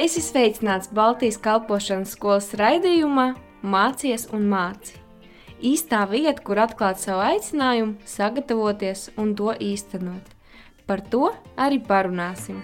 Esi sveicināts Baltijas kalpošanas skolas raidījumā Mācies un māci. Īstā vieta, kur atklāt savu aicinājumu, sagatavoties un to īstenot. Par to arī parunāsim.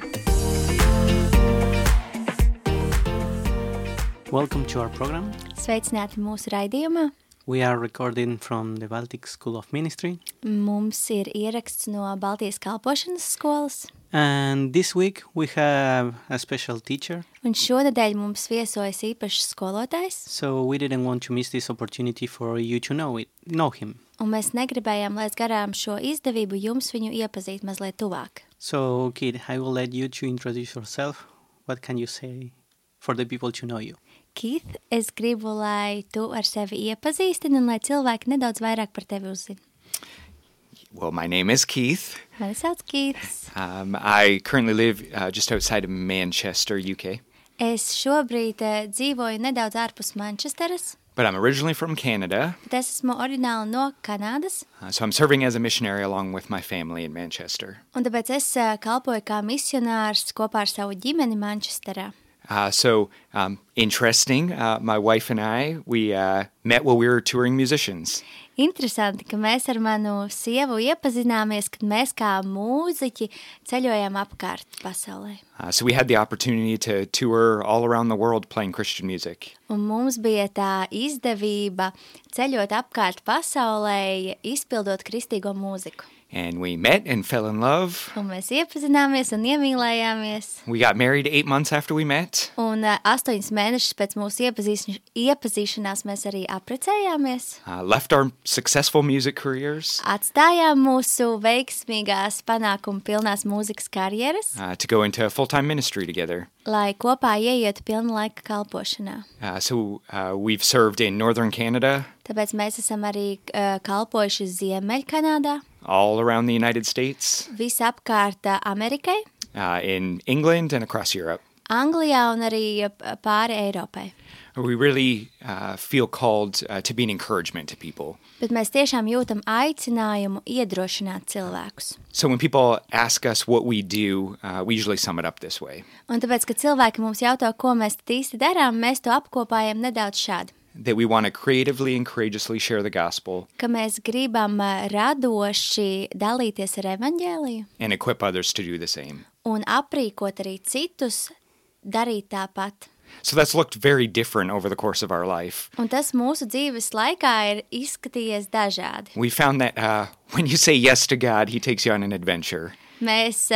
Welcome to our program. Sveicināti mūsu raidījumā. We are recording from the Baltic School of Ministry. Mums ir ieraksts no Baltijas kalpošanas skolas. And this week we have a special teacher. Un šonedēļ mums viesojas īpašs skolotājs. So we didn't want to miss this opportunity for you to know him. Un mēs negribējām laist garām šo izdevību jums viņu iepazīt mazliet tuvāk. So, Kid, I will let you to introduce yourself. What can you say for the people to know you? Keith, es gribu, lai tu ar sevi iepazīstini un lai cilvēki nedaudz vairāk par tevi uzzina. Well, my name is Keith. Mani sauc Keiths. I currently live just outside of Manchester, UK. Es šobrīd dzīvoju nedaudz ārpus Manchesteras, But I'm originally from Canada, bet es esmu oriģināli no Kanādas, so I'm serving as a missionary along with my family in Manchester. un tāpēc es kalpoju kā misionārs kopā ar savu ģimeni Manchesterā. Interesting. My wife and I, we met while we were touring musicians. Interesanti, ka mēs ar manu sievu iepazināmies, kad mēs kā mūziķi ceļojam apkārt pasaulē. So we had the opportunity to tour all around the world playing Christian music. Un mums bija tā izdevība ceļot apkārt pasaulē, izpildot kristīgo mūziku. And we met and fell in love. Un mēs iepazināmies un iemīlējāmies. We got married 8 months after we met. Un 8 mēnešus pēc mūsu iepazīšanās mēs arī apprecējāmies. Left our successful music careers. Atstājām mūsu veiksmīgās panākumu pilnās mūzikas karjeras, To go into full-time ministry together. lai kopā ieietu pilna laika kalpošanā. We've served in Northern Canada, Tāpēc mēs esam arī kalpojuši Ziemeļkanādā, all around the United States, visapkārt Amerikai, in England and across Europe. Anglijā un arī pāri Eiropai. We really feel called to be an encouragement to people. Bet mēs tiešām jūtam aicinājumu iedrošināt cilvēkus. So when people ask us what we do, we usually sum it up this way. Un tāpēc, kad cilvēki mums jautā, ko mēs tad īsti darām, mēs to apkopājam nedaudz šādi. That we want to creatively and courageously share the gospel Ka mēs gribam radoši dalīties ar evaņģēliju and equip others to do the same. un aprīkot arī citus darīt tāpat. So that's looked very different over the course of our life. Un tas mūsu dzīves laikā ir izskatījies dažādi. We found that when you say yes to God, He takes you on an adventure. Mēs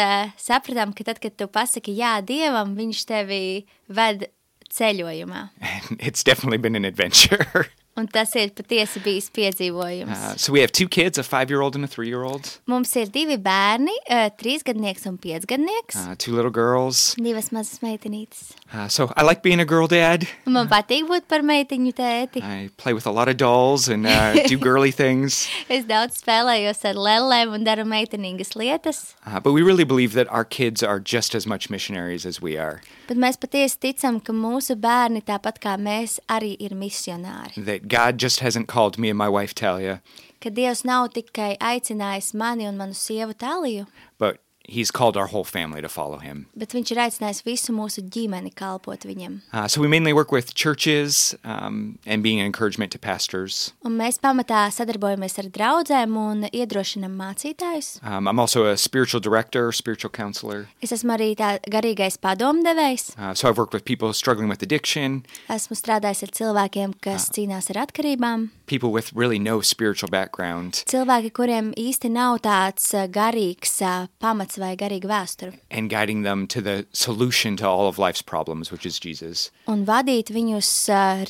sapratām, ka tad, kad tu pasaki jā Dievam, viņš tevi ved ceļojumā. And it's definitely been an adventure. Un tas ir patiesi bijis piedzīvojums. So we have 2 kids, a 5-year-old and a 3-year-old, Mums ir 2 bērni, 3-gadnieks un 5-gadnieks, 2 little girls. 2 mazas meitenītes. So I like being a girl dad. Un man patīk būt par meitiņu tēti. I play with a lot of dolls and do girly things. Es daudz spēlējos ar lellēm un daru meitenīgas lietas, But we really believe that our kids are just as much missionaries as we are. bet mēs patiesi ticam, ka mūsu bērni, tāpat kā mēs, arī ir misionāri. That God just hasn't called me and my wife Talia, Ka Dievs nav tikai aicinājis mani un manu sievu Taliju, but He's called our whole family to follow Him. bet viņš ir aicinājis visu mūsu ģimeni kalpot viņam. So we mainly work with churches and being an encouragement to pastors. Un mēs pamatā sadarbojamies ar draudzēm un iedrošinam mācītājus. I'm also a spiritual director, spiritual counselor. Es esmu arī tā garīgais padomdevējs. So I've worked with people struggling with addiction, Esmu strādājis ar cilvēkiem, kas cīnās ar atkarībām. people with really no spiritual background, Cilvēki, kuriem īsti nav tāds garīgs pamats vai garīga vēsture. and guiding them to the solution to all of life's problems, which is Jesus. Un vadīt viņus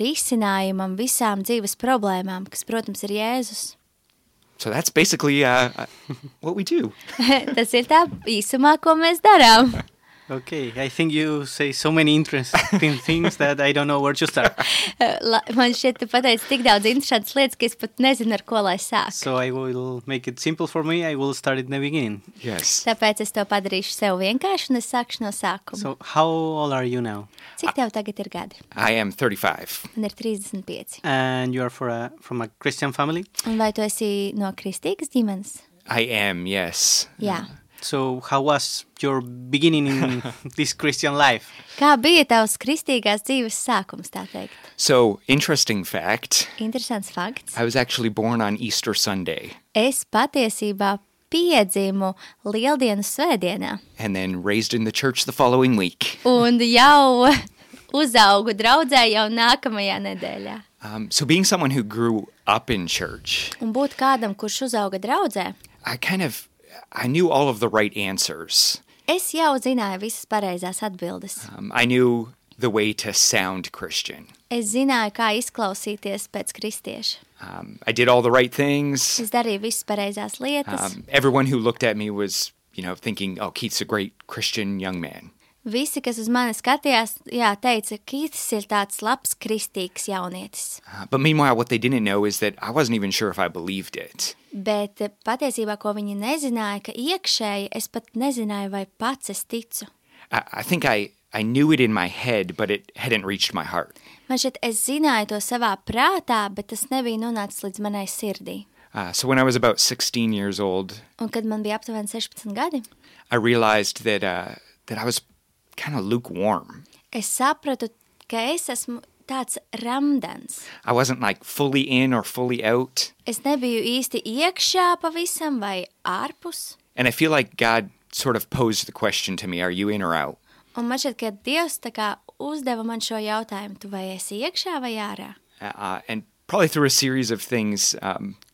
risinājumam visām dzīves problēmām, kas, protams, ir Jēzus. So that's basically what we do. Tas ir tā īsumā, ko mēs darām. Okay, I think you say so many interesting things that I don't know where to start. Man šķiet, tu pateici tik daudz interesantas lietas, ka es pat nezinu, ar ko lai sāk. So I will make it simple for me. I will start at the beginning. Yes. Tāpēc es to padarīšu sev vienkārši un es sākšu no sākuma. So how old are you now? Cik tev tagad ir gadi? I am 35. Man ir 35. And you are from a Christian family? Un vai tu esi no kristīgas ģimenes? I am, yes. Jā. So how was your beginning in this Christian life? Kā bija tavs kristīgās dzīves sākums, tā teikt? So, interesting fact, Interesants fakts. I was actually born on Easter Sunday Es patiesībā piedzimu Lieldienu svētdienā and then raised in the church the following week. un jau uzaugu draudzē jau nākamajā nedēļā. So being someone who grew up in church, Un būt kādam, kurš uzauga draudzē, I knew all of the right answers. es jau zināju visas pareizās atbildes. I knew the way to sound Christian. Es zināju, kā izklausīties pēc kristieša. I did all the right things. Es darīju visas pareizās lietas. Everyone who looked at me was, thinking, oh, Keith's a great Christian young man. Visi, kas uz mani skatījās, teica, ka Kītis ir tāds labs kristīgs jaunietis. But meanwhile, what they didn't know is that I wasn't even sure if I believed it. Bet patiesībā, ko viņi nezināja, ka iekšēji es pat nezināju, vai pats es ticu. I think I knew it in my head, but it hadn't reached my heart. Man šķiet, es zināju to savā prātā, bet tas nebija nonācis līdz manai sirdī. So when I was about 16 years old, Un kad man bija aptuveni 16 gadi, I realized that I was kind of lukewarm. es sapratu, ka es esmu tāds ramdens. I wasn't like fully in or fully out. Es nebiju īsti iekšā pavisam vai ārpus. And I feel like God sort of posed the question to me, are you in or out? Un man šķiet, ka Dievs tā kā uzdeva man šo jautājumu, tu vai esi iekšā vai ārā? And probably through a series of things,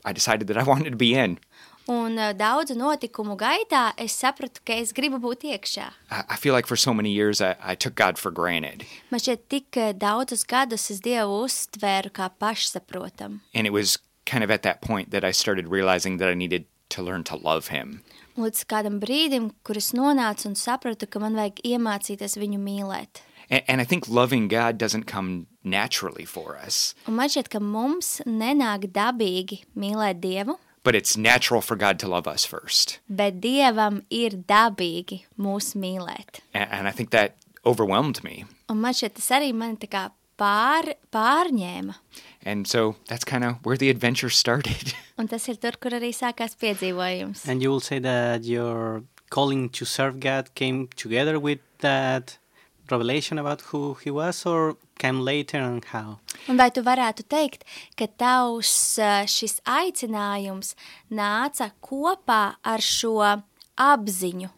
I decided that I wanted to be in. Un daudzu notikumu gaitā es sapratu, ka es gribu būt iekšā. I feel like for so many years I took God for granted. Man šķiet, tik daudzus gadus es Dievu uztvēru kā pašsaprotam. And it was kind of at that point that I started realizing that I needed to learn to love him. Līdz kādam brīdim, kur es nonācu un sapratu, ka man vajag iemācīties viņu mīlēt. And I think loving God doesn't come naturally for us, Un man šķiet, ka mums nenāk dabīgi mīlēt Dievu, but it's natural for God to love us first. bet Dievam ir dabīgi mūs mīlēt. And I think that overwhelmed me. Un man šķiet, tas arī mani tā kā pārņēma. And so that's kind of where the adventure started. Un tas ir tur, kur arī sākās piedzīvojums. And you will say that your calling to serve God came together with that revelation about who he was, or came later, and how? Un vai tu varētu teikt, ka tavs šis aicinājums nāca kopā ar šo apziņu?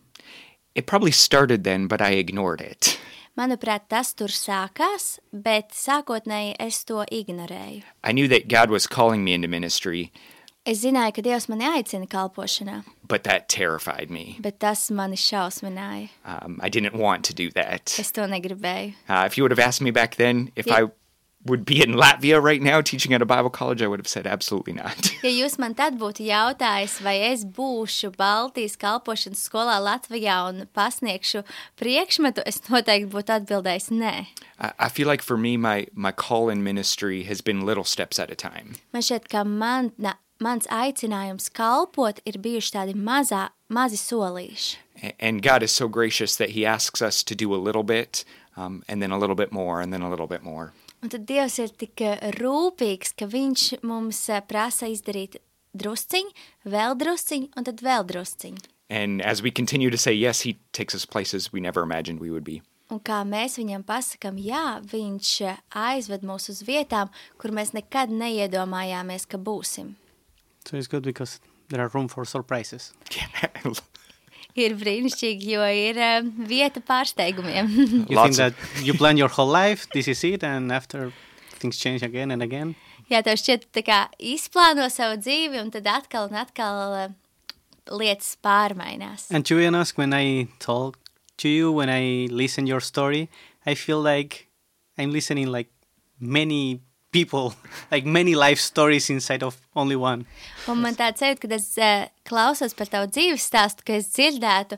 It probably started then, but I ignored it. Manuprāt, tas tur sākās, bet sākotnēji es to ignorēju. I knew that God was calling me into ministry, Es zināju, ka Dievs mani aicina kalpošanā, but that terrified me. bet tas mani šausmināja. I didn't want to do that. Es to negribēju. If you would have asked me back then if Yeah. I would be in Latvia right now teaching at a Bible college, I would have said absolutely not. Ja jūs man tad būtu jautājis, vai es būšu Baltijas kalpošanas skolā Latvijā un pasniegšu priekšmetu, es noteikti būtu atbildējis nē. I feel like for me, my call in ministry has been little steps at a time. Man šķiet, ka mans aicinājums kalpot ir bijuši tādi mazi solīši. And God is so gracious that he asks us to do a little bit, and then a little bit more, and then a little bit more. Un tad Dievs ir tik rūpīgs, ka viņš mums prasa izdarīt drusciņu, vēl drusciņu un tad vēl drusciņu. And as we continue to say yes, he takes us places we never imagined we would be. Un kā mēs viņam pasakam, jā, viņš aizved mūs uz vietām, kur mēs nekad neiedomājāmies, ka būsim. So it's good because there are room for surprises. Ir brīnišķīgi, jo ir vieta pārsteigumiem. You think that you plan your whole life, this is it, and after things change again and again? Jā, tev šķiet, tā kā izplāno savu dzīvi, un tad atkal un atkal lietas pārmainās. And to be honest, when I talk to you, when I listen your story, I feel like I'm listening like many people, like many life stories inside of only one. Un man tāds sajūta, kad es klausos par tavu dzīves stāstu, ka es dzirdētu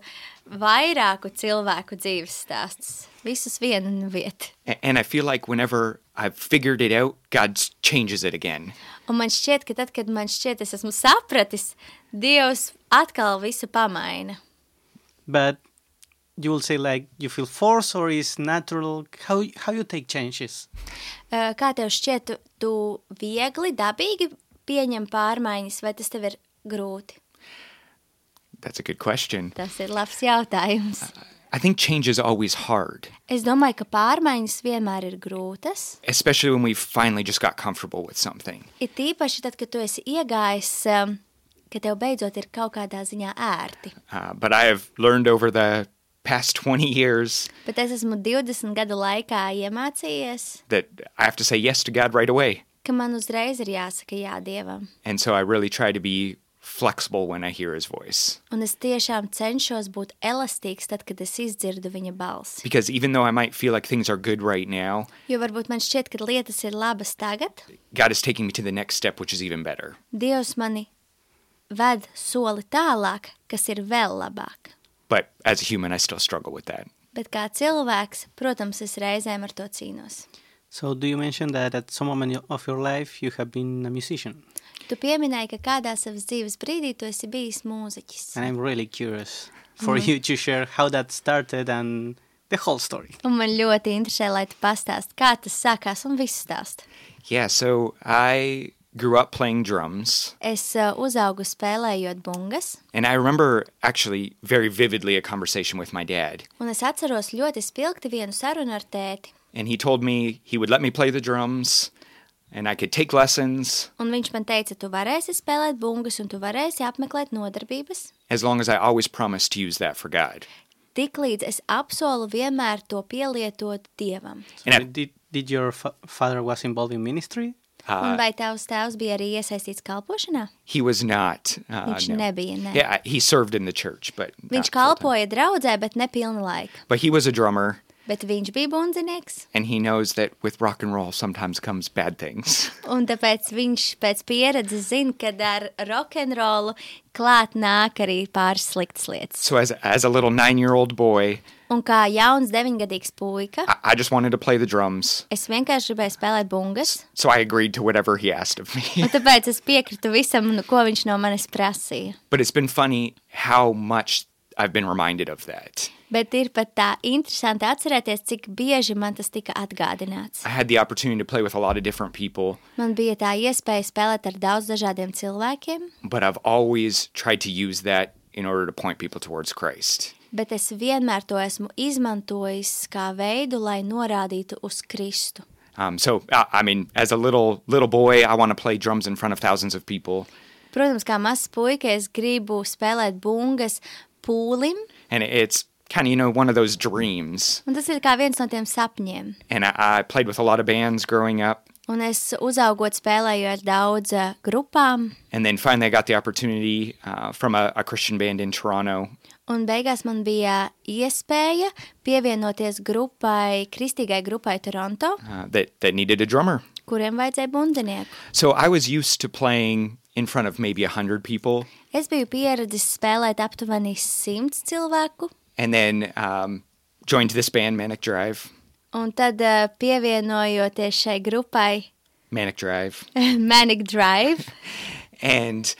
vairāku cilvēku dzīves stāstus. Visus vienu vietu. And I feel like whenever I've figured it out, God changes it again. Un man šķiet, ka tad, kad man šķiet, es esmu sapratis, Dievs atkal visu pamaina. But you will say like you feel forced or is natural? How you take changes? Kā tev šķiet, tu viegli, dabīgi pieņem pārmaiņas, vai tas tev ir grūti? That's a good question. Tas ir labs jautājums. I think change is always hard, Es domāju, ka pārmaiņas vienmēr ir grūtas. especially when we finally just got comfortable with something. Ir tīpaši tad, kad tu esi iegājis, ka tev beidzot ir kaut kādā ziņā ērti. But I have learned over the past 20 years Bet es esmu 20 gadu laikā iemācījies, that I have to say yes to God right away. ka man uzreiz ir jāsaka jā Dievam. And so I really try to be flexible when I hear his voice. Un es tiešām cenšos būt elastīgs tad, kad es izdzirdu viņa balsi. Because even though I might feel like things are good right now, Jo varbūt man šķiet, ka lietas ir labas tagad, God is taking me to the next step, which is even better. Dievs mani ved soli tālāk, kas ir vēl labāk. But as a human, I still struggle with that. Bet kā cilvēks, protams, es reizēm ar to cīnos. So do you mention that at some moment of your life you have been a musician? Tu pieminēji, ka kādā savas dzīves brīdī tu esi bijis mūziķis. And I'm really curious for you to share how that started and the whole story. Un man ļoti interesē, lai tu pastāst, kā tas sākās un viss stāst. Yeah, so I grew up playing drums. Es uzaugu spēlējot bungas, And I remember actually very vividly a conversation with my dad. un es atceros ļoti spilgti vienu sarunu ar tēti. And he told me he would let me play the drums and I could take lessons Un viņš man teica, tu varēsi spēlēt bungas un tu varēsi apmeklēt nodarbības, as long as I always promised to use that for God. tik līdz es apsolu vienmēr to pielietot Dievam. So And did your father was involved in ministry? Un vai tavs tēvs bija arī iesaistīts kalpošanā? He was not. Viņš No. nebija, ne. Yeah, he served in the church, but Viņš not full-time. kalpoja draudzē, bet ne pilna laika. But he was a drummer, Bet viņš bija bundzinieks, and he knows that with rock and roll sometimes comes bad things. un tāpēc viņš pēc pieredzes zina, ka ar rokenrolu klāt nāk arī pāris sliktas lietas. So as a little 9-year-old boy, Un kā jauns 9-gadīgs puika, I just wanted to play the drums. es vienkārši gribēju spēlēt bungas, So I agreed to whatever he asked of me. un tāpēc es piekritu visam, ko viņš no manis prasīja. But it's been funny how much I've been reminded of that. Bet ir pat tā interesanti atcerēties, cik bieži man tas tika atgādināts. I had the opportunity to play with a lot of different people, Man bija tā iespēja spēlēt ar daudz dažādiem cilvēkiem, but I've always tried to use that in order to point people towards Christ. bet es vienmēr to esmu izmantojis kā veidu, lai norādītu uz Kristu. So, I mean, as a little boy, I want to play drums in front of thousands of people. Protams, kā mazs puika, es gribu spēlēt bungas pūlim, And it's kind of, one of those dreams. un tas ir kā viens no tiem sapņiem. And I played with a lot of bands growing up. Un es uzaugot spēlēju ar daudz grupām, And then finally I got the opportunity from a Christian band in Toronto. un beigās man bija iespēja pievienoties kristīgai grupai Toronto, That needed a drummer. kuriem vajadzēja bundzinieku. So I was used to playing in front of maybe 100 people. Es biju pieredzis spēlēt aptuveni 100 cilvēku, And then joined this band, Manic Drive. un tad pievienojoties šai grupai Manic Drive. Manic Drive, And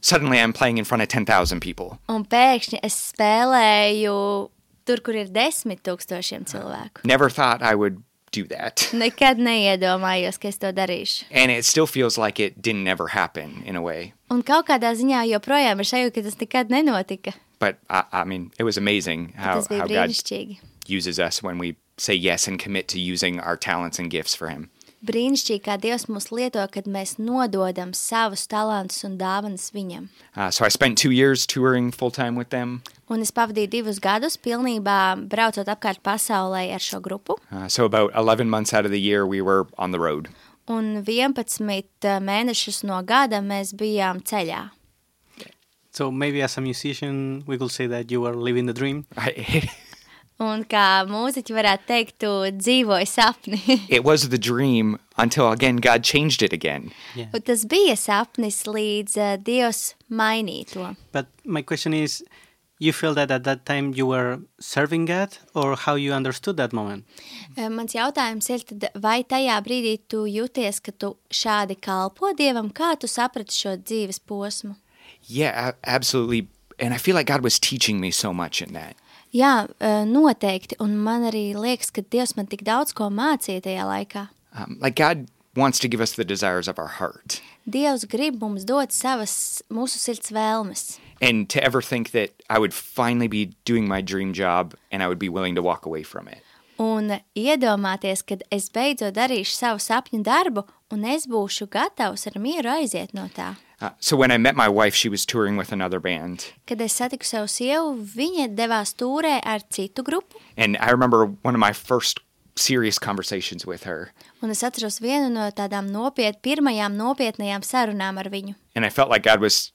suddenly I'm playing in front of 10,000 people. un pēkšņi es spēlēju tur, kur ir 10,000 cilvēku. Never thought I would do that. Nekad neiedomājos, ka es to darīšu. And it still feels like it didn't ever happen in a way. Un kaut kādā ziņā joprojām ir sajūta, ka tas nekad nenotika. But I mean, it was amazing how Tas bija God brīnišķīgi. uses us when we say yes and commit to using our talents and gifts for Him. Brīnišķīgi, kā Dievs mūs lieto, kad mēs nododam savus talantus un dāvanas viņam. So I spent 2 years touring full-time with them. Un es pavadīju 2 gadus pilnībā braucot apkārt pasaulē ar šo grupu. So about 11 months out of the year, we were on the road. Un 11 mēnešus no gada mēs bijām ceļā. So maybe as a musician, we could say that you were living the dream. Un kā mūziķi varētu teikt, tu dzīvoji sapni. It was the dream until, again, God changed it again. Yeah. Un tas bija sapnis līdz Dievs mainīja to. But my question is, you feel that at that time you were serving God, or how you understood that moment? Mans jautājums ir, tad, vai tajā brīdī tu jūties, ka tu šādi kalpo Dievam, kā tu saprati šo dzīves posmu? Yeah, absolutely. And I feel like God was teaching me so much in that. Jā, noteikti, un man arī liekas, ka Dievs man tik daudz ko mācīja tajā laikā. Like God wants to give us the desires of our heart. Dievs grib mums dot savas mūsu sirds vēlmes. And to ever think that I would finally be doing my dream job and I would be willing to walk away from it. Un iedomāties, kad es beidzot darīšu savu sapņu darbu, un es būšu gatavs ar mieru aiziet no tā. So when I met my wife, she was touring with another band. Kad es satiku savu sievu, viņa devās tūrē ar citu grupu, And I remember one of my first serious conversations with her. un es atceros vienu no tādām pirmajām nopietnajām sarunām ar viņu. And I felt like God was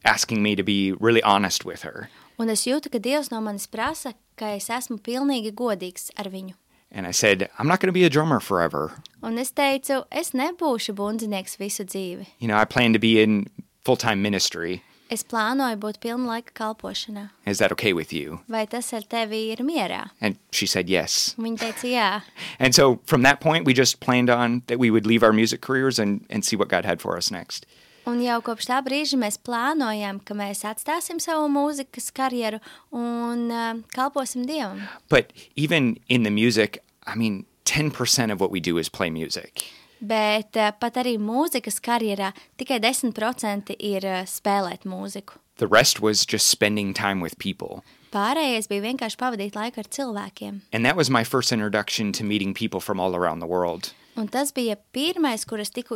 asking me to be really honest with her. Un es jūtu, ka Dievs no manis prasa, ka es esmu pilnīgi godīgs ar viņu. And I said, I'm not going to be a drummer forever. Un es teicu, es nebūšu bundzinieks visu dzīvi. You know, I plan to be in full-time ministry. Es plānoju būt pilna laika kalpošanā. Is that okay with you? Vai tas ar tevi ir mierā? And she said yes. Un viņa teica, jā. And so from that point, we just planned on that we would leave our music careers and see what God had for us next. Un jau kopš tā brīža mēs plānojam, ka mēs atstāsim savu mūzikas karjeru un kalposim Dievam. But even in the music, I mean, 10% of what we do is play music. Bet pat arī mūzikas karjerā tikai 10% ir spēlēt mūziku. The rest was just spending time with people. Pārējais bija vienkārši pavadīt laiku ar cilvēkiem. And that was my first introduction to meeting people from all around the world. Un tas bija pirmais, kur es tiku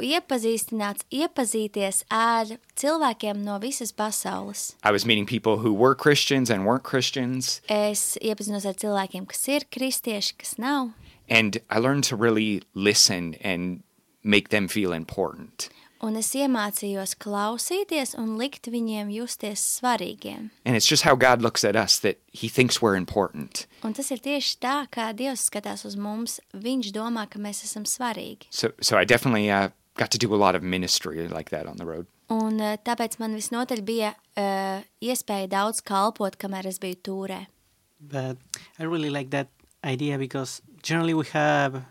iepazīties ar cilvēkiem no visas pasaules. I was meeting people who were Christians and weren't Christians. Es iepazinos ar cilvēkiem, kas ir kristieši, kas nav. And I learned to really listen and make them feel important. Un es iemācījos klausīties un likt viņiem justies svarīgiem. And it's just how God looks at us, that he thinks we're important. Un tas ir tieši tā, kā Dievs skatās uz mums. Viņš domā, ka mēs esam svarīgi. So I definitely got to do a lot of ministry like that on the road. Un tāpēc man visnotaļ bija iespēja daudz kalpot, kamēr es biju tūrē. But I really like that idea because generally we have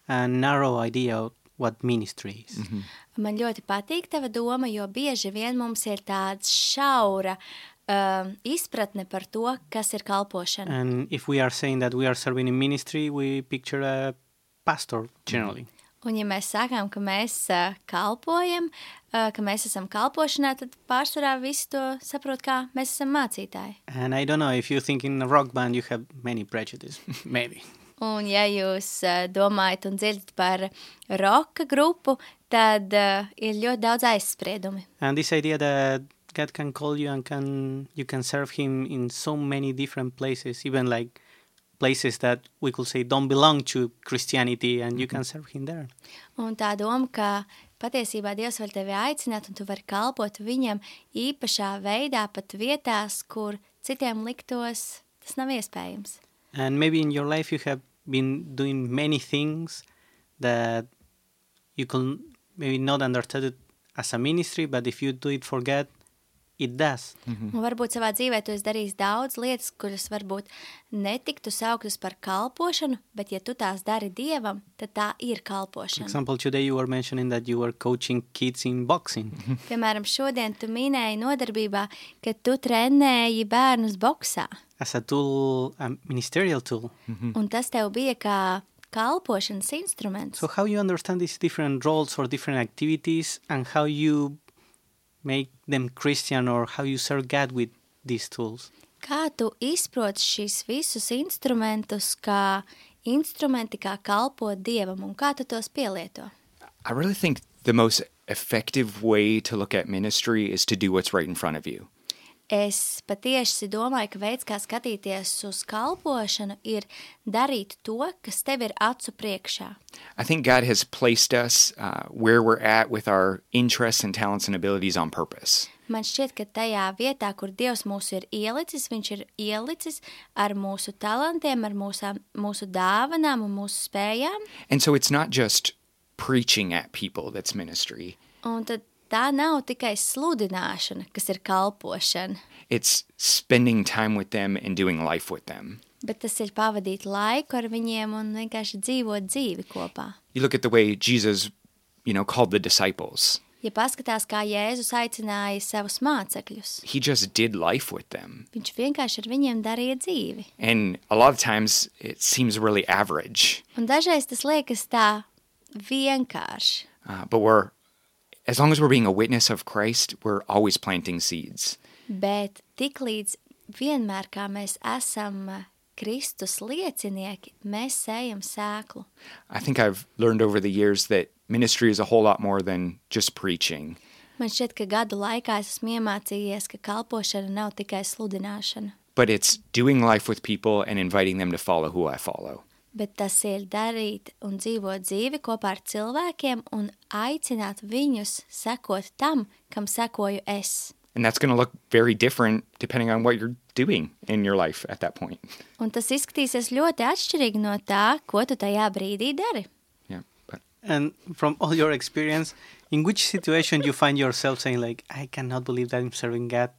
a narrow idea of what ministry is. Mm-hmm. Man ļoti patīk tava doma, jo bieži vien mums ir tāds šaura izpratne par to, kas ir kalpošana. And if we are saying that we are serving in ministry, we picture a pastor generally. Un ja mēs sakām, ka mēs kalpojam, ka mēs esam kalpošanā, tad pārsvarā visi to saprot, kā mēs esam mācītāji. And I don't know, if you think in a rock band you have many prejudices, maybe. Un ja jūs domājat un dzirdat par roka grupu, tad ir ļoti daudz aizspriedumi. And this idea that God can call you and you can serve him in so many different places, even like places that we could say don't belong to Christianity, and you can serve him there. Un tā doma, ka patiesībā Dievs var tevi aicināt un tu vari kalpot viņam īpašā veidā, pat vietās, kur citiem liktos, tas nav iespējams. And maybe in your life you have been doing many things that you could maybe not understand it as a ministry, but if you do it for God, it does. Un varbūt savā dzīvē tu esi darījis daudz lietas, kuras varbūt netiktu sauktas par kalpošanu, bet ja tu tās dari Dievam, tad tā ir For kalpošana. example, today you were mentioning that you were coaching kids in boxing. Piemēram, šodien tu minēji nodarbībā, ka tu trenēji bērnus boksā. As a tool, a ministerial tool. Un tas tev bija kā kalpošanas instruments. So how you understand these different roles or different activities and how you make them Christian or how you serve God with these tools? Kā tu izproti šīs visus instrumentus kā instrumenti, kā kalpot Dievam, un kā tu tos pielieto? I really think the most effective way to look at ministry is to do what's right in front of you. Es patieši domāju, ka veids, kā skatīties uz kalpošanu, ir darīt to, kas tev ir acu priekšā. I think God has placed us where we're at with our interests and talents and abilities on purpose. Man šķiet, ka tajā vietā, kur Dievs mūs ir ielicis, viņš ir ielicis ar mūsu talantiem, ar mūsu dāvanām un mūsu spējām. And so it's not just preaching at people that's ministry. Un tad tā nav tikai sludināšana, kas ir kalpošana, It's spending time with them and doing life with them. bet tas ir pavadīt laiku ar viņiem un vienkārši dzīvot dzīvi kopā. You look at the way Jesus, called the disciples. Ja paskatās, kā Jēzus aicināja savus mācekļus, He just did life with them. viņš vienkārši ar viņiem darīja dzīvi. And a lot of times it seems really average. Un dažreiz tas liekas tā vienkārši. But as long as we're being a witness of Christ, we're always planting seeds. Bet tiklīdz vienmēr, kā mēs esam Kristus liecinieki, mēs sējam sēklu. I think I've learned over the years that ministry is a whole lot more than just preaching. Man šķiet, ka gadu laikā es esmu iemācījies, ka kalpošana nav tikai sludināšana, But it's doing life with people and inviting them to follow who I follow. bet tas ir darīt un dzīvot dzīvi kopā ar cilvēkiem un aicināt viņus sekot tam, kam sekoju es. And that's going to look very different depending on what you're doing in your life at that point. Un tas izskatīsies ļoti atšķirīgi no tā, ko tu tajā brīdī dari. Yeah. But And from all your experience, in which situation you find yourself saying like, I cannot believe that I'm serving God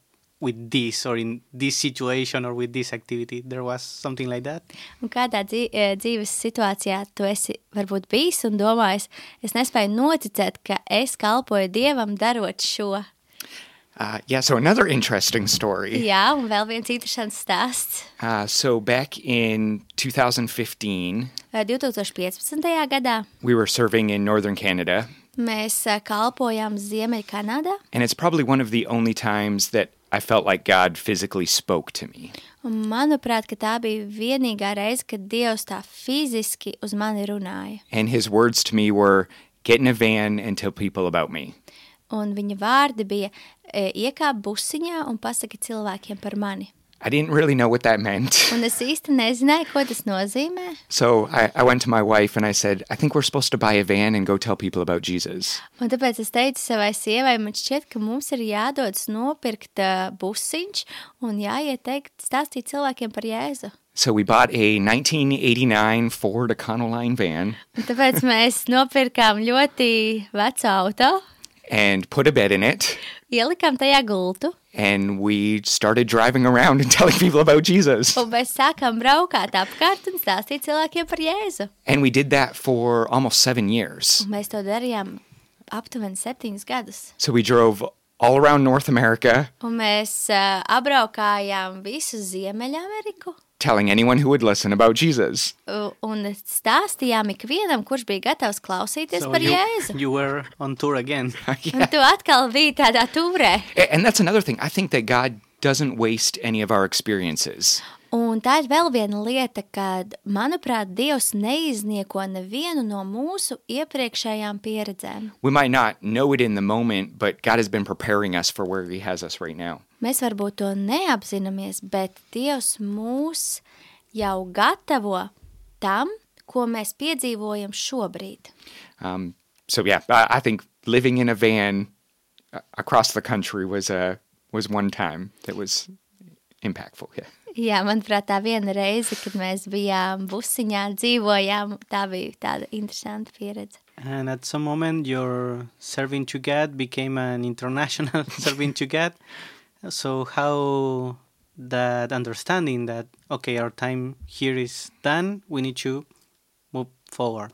with this or in this situation or with this activity? There was something like that? Un kādā dzīves situācijā tu esi varbūt bijis un domājis, es nespēju noticēt, ka es kalpoju Dievam darot šo. yeah, so another interesting story. Jā, un vēl viens interesants stāsts. So back in 2015, 2015. gadā we were serving in northern Canada, mēs kalpojām Ziemeļkanādā, and it's probably one of the only times that I felt like God physically spoke to me. un manuprāt, ka tā bija vienīgā reize, kad Dievs tā fiziski uz mani runāja. And his words to me were, get in a van and tell people about me. Un viņa vārdi bija iekāp busiņā un pasaki cilvēkiem par mani. I didn't really know what that meant. Un es īsti nezināju, ko tas nozīmē. So I went to my wife and I said, I think we're supposed to buy a van and go tell people about Jesus. Un tāpēc es teicu savai sievai, man šķiet, ka mums ir jādodas nopirkt busiņš un jāiet stāstīt cilvēkiem par Jēzu. So we bought a 1989 Ford Econoline van Un tāpēc mēs nopirkām ļoti vecu auto, and put a bed in it. ielikām tajā gultu And we started driving around and telling people about Jesus. un mēs sākām braukāt apkārt un stāstīt cilvēkiem par Jēzu. And we did that for almost 7 years. Un mēs to darījām aptuveni 7 gadus. So we drove all around North America, Un mēs apbraukājām visu Ziemeļameriku telling anyone who would listen about Jesus. un stāstījām ikvienam, kurš bija gatavs klausīties par Jēzu. you were on tour again. Un tu atkal biji tādā turē. And that's another thing. I think that God doesn't waste any of our experiences. Un tā ir vēl viena lieta, kad, manuprāt, Dievs neiznieko nevienu no mūsu iepriekšējām pieredzēm. We might not know it in the moment, but God has been preparing us for where he has us right now. Mēs varbūt to neapzināmies, bet Dievs mūs jau gatavo tam, ko mēs piedzīvojam šobrīd. So yeah, I think living in a van across the country was one time that was impactful. Yeah. Jā, manuprāt, tā viena reize, kad mēs bijām busiņā, dzīvojām, tā bija tāda interesanta pieredze. And at some moment, your serving to God became an international serving to God. So how that understanding that, okay, our time here is done, we need to move forward.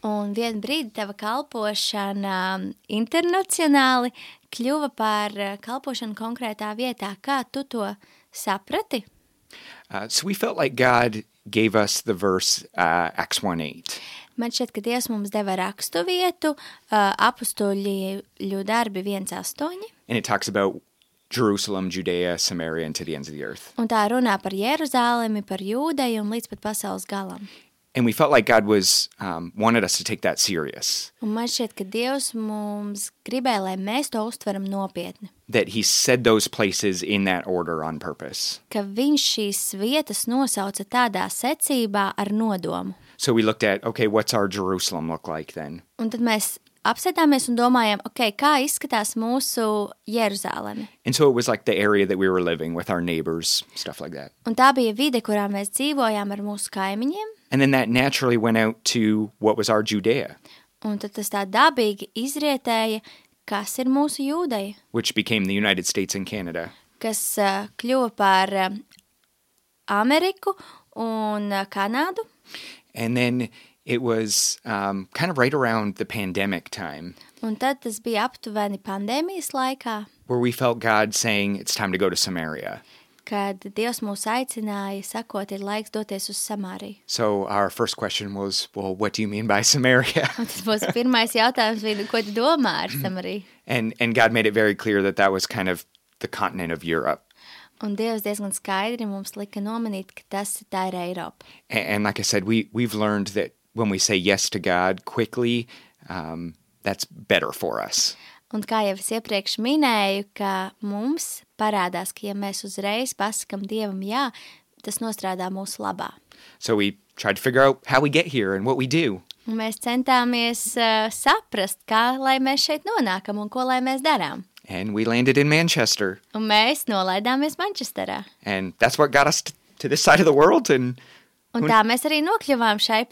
Un vienu brīdi tava kalpošana internacionāli kļuva par kalpošanu konkrētā vietā. Kā tu to saprati? So we felt like God gave us the verse Acts 1:8. Man šķiet, ka Dievs mums deva rakstu vietu, apustuļu darbi 1:8. And it talks about Jerusalem, Judea, Samaria, and to the ends of the earth. Un tā runā par Jeruzālemi, par Jūdeju un līdz pat pasaules galam. And we felt like God was wanted us to take that serious. Un man šķiet, ka Dievs mums gribēja, lai mēs to uztveram nopietni. That he said those places in that order on purpose. Ka viņš šīs vietas nosauca tādā secībā ar nodomu. So we looked at, okay, what's our Jerusalem look like then? Un tad mēs apsēdāmies un domājām, okay, kā izskatās mūsu Jeruzāleme. And so it was like the area that we were living with our neighbors, stuff like that. Un tā bija vide, kurā mēs dzīvojām ar mūsu kaimiņiem. And then that naturally went out to what was our Judea, Un tad tas tā dabīgi izrietēja, kas ir mūsu Jūdeja, which became the United States and Canada. kas kļuva par Ameriku un Kanādu. And then it was kind of right around the pandemic time Un tad tas bija aptuveni pandēmijas laikā, where we felt God saying, it's time to go to Samaria. kad Dievs mūs aicināja, sakot, ir laiks doties uz Samāriju. So our first question was, well, what do you mean by Samaria? Un tas mūsu pirmais jautājums bija, ko tu domā ar Samāriju? And God made it very clear that that was kind of the continent of Europe. Un Dievs diezgan skaidri mums lika nomanīt, ka tā ir Eiropa. And like I said, we've learned that when we say yes to God quickly, that's better for us. Un kā jau es iepriekš minēju, ka mums parādās, ka ja mēs uzreiz pasakam Dievam jā, tas nostrādā mūsu labā. So we tried to figure out how we get here and what we do. Un mēs centāmies saprast, kā lai mēs šeit nonākam un ko lai mēs darām. And we landed in Manchester. Un mēs nolaidāmies Manchesterā. And that's what got us to this side of the world. And Un tā mēs arī nokļuvām šai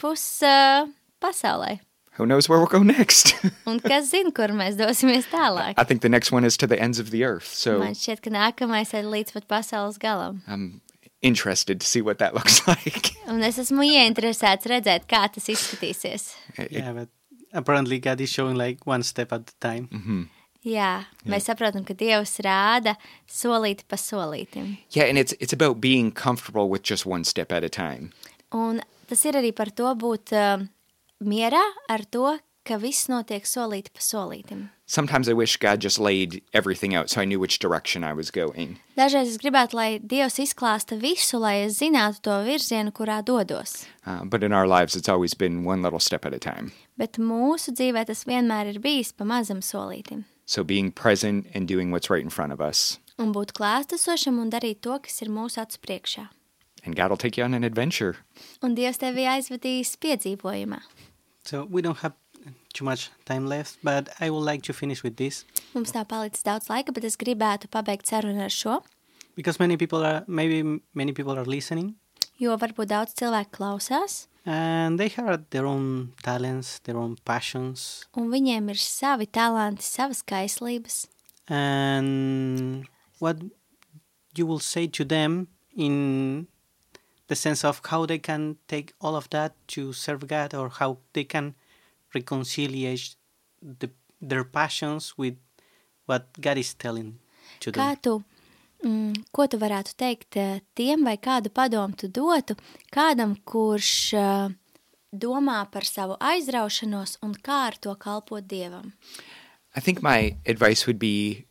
pasaulē. who knows where we'll go next? Un kas zina, kur mēs dosimies tālāk? I think the next one is to the ends of the earth. So Man šķiet, ka nākamais ir līdz pat pasaules galam. I'm interested to see what that looks like. Un es esmu ieinteresēts redzēt, kā tas izskatīsies. Yeah, but apparently God is showing like one step at a time. Jā, mēs saprotam, ka Dievs rāda solīti pa solītim. Yeah, and it's about being comfortable with just one step at a time. Un tas ir arī par to būt mierā ar to, ka viss notiek solīti pa solītim. Sometimes I wish God just laid everything out so I knew which direction I was going. Dažreiz es gribētu, lai Dievs izklāsta visu, lai es zinātu to virzienu, kurā dodos. But in our lives, it's always been one little step at a time. Bet mūsu dzīvē tas vienmēr ir bijis pa mazam solītim. So being present and doing what's right in front of us. Un būt klātesošam un darīt to, kas ir mūsu acu priekšā. And God will take you on an adventure. Un Dievs tevi aizvedīs piedzīvojumā. So we don't have too much time left, but I would like to finish with this. Mums nav palicis daudz laika, bet es gribētu pabeigt sarunu ar šo, Because many people are listening, jo varbūt daudz cilvēku klausās, and they have their own talents, their own passions, un viņiem ir savi talanti, savas kaislības. and what you will say to them in the sense of how they can take all of that to serve God, or how they can reconciliate their passions with what God is telling to them. Ko tu varētu teikt tiem, vai kādu padomu tu dotu kādam, kurš domā par savu aizraušanos un kā ar to kalpot Dievam? I think my advice would be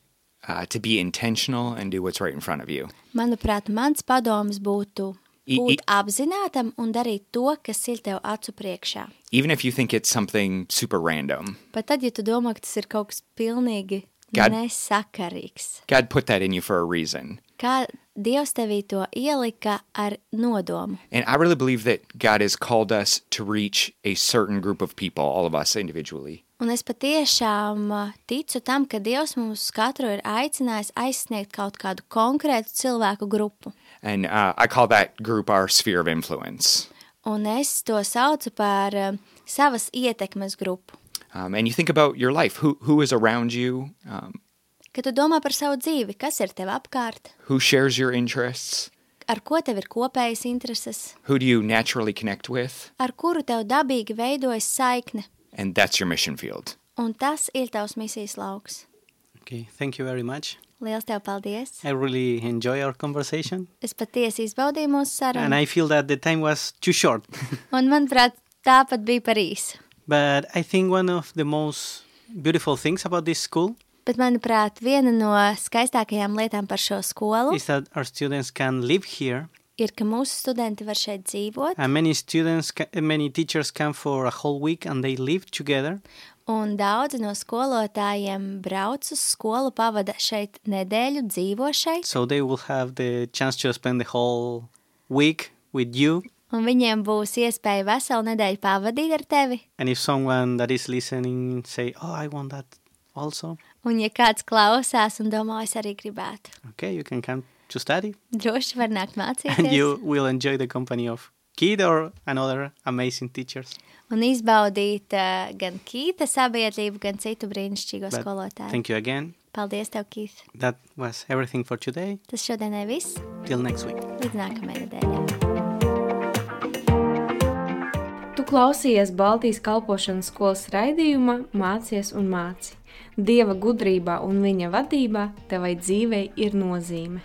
to be intentional and do what's right in front of you. Manuprāt, mans padoms būtu būt apzinātam un darīt to, kas ir tev acu priekšā. Even if you think it's something super random, Pat tad, ja tu domā, ka tas ir kaut kas pilnīgi nesakarīgs. God put that in you for a reason. Kā Dievs tevī to ielika ar nodomu. And I really believe that God has called us to reach a certain group of people, all of us individually. Un es patiešām ticu tam, ka Dievs mums katru ir aicinājis aizsniegt kaut kādu konkrētu cilvēku grupu. And I call that group our sphere of influence. Un es to saucu par savas ietekmes grupu. And you think about your life. Who is around you? Kad tu domā par savu dzīvi, kas ir tev apkārt? Who shares your interests? Ar ko tev ir kopējas intereses? Who do you naturally connect with? Ar kuru tev dabīgi veidojas saikne? And that's your mission field. Un tas ir tavs misijas lauks. Okay, thank you very much. Liels tev paldies! I really enjoy our conversation, Es patiesi izbaudīju mūsu and sarunu, I feel that the time was too short. un manuprāt, tāpat bija par īsu. But I think one of the most beautiful things about this school Bet, manuprāt, viena no skaistākajām lietām par šo skolu is that our students can live here, ir, ka mūsu studenti var šeit dzīvot, and many teachers come for a whole week and they live together. un daudzi no skolotājiem brauc uz skolu, pavada šeit nedēļu, dzīvo šeit, So they will have the chance to spend the whole week with you. un viņiem būs iespēja veselu nedēļu pavadīt ar tevi. And if someone that is listening say, "Oh, I want that also," Un, ja kāds klausās un domā, es arī gribētu, okay, you can come to study, droši var nākt and mācīties you will enjoy the company of Kid or another amazing teachers. un izbaudīt gan Kīta sabiedrību, gan citu brīnišķīgo But skolotāju. thank you again. Paldies tev, Kīth. That was everything for today. Tas šodienai viss. Till next week. Līdz nākamajai nedēļai. Tu klausījies Baltijas kalpošanas skolas raidījumā Mācies un māci. Dieva gudrībā un viņa vadībā tevai dzīvei ir nozīme.